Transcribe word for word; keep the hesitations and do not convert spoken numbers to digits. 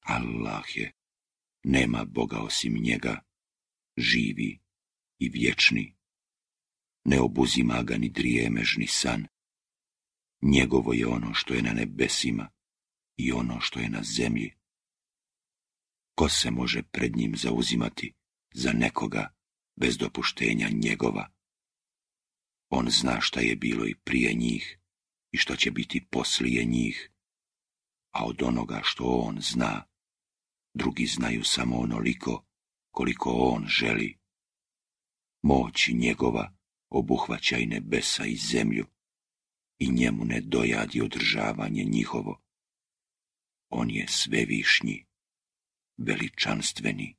Allah je, nema Boga osim njega, živi i vječni. Ne obuzima ga ni drijemež ni san. Njegovo je ono što je na nebesima i ono što je na zemlji. Ko se može pred njim zauzimati za nekoga bez dopuštenja njegova? On zna šta je bilo i prije njih i što će biti poslije njih, a od onoga što on zna, drugi znaju samo onoliko koliko on želi. Moći njegova obuhvaća i nebesa i zemlju i njemu ne dojadi održavanje njihovo. On je svevišnji, veličanstveni,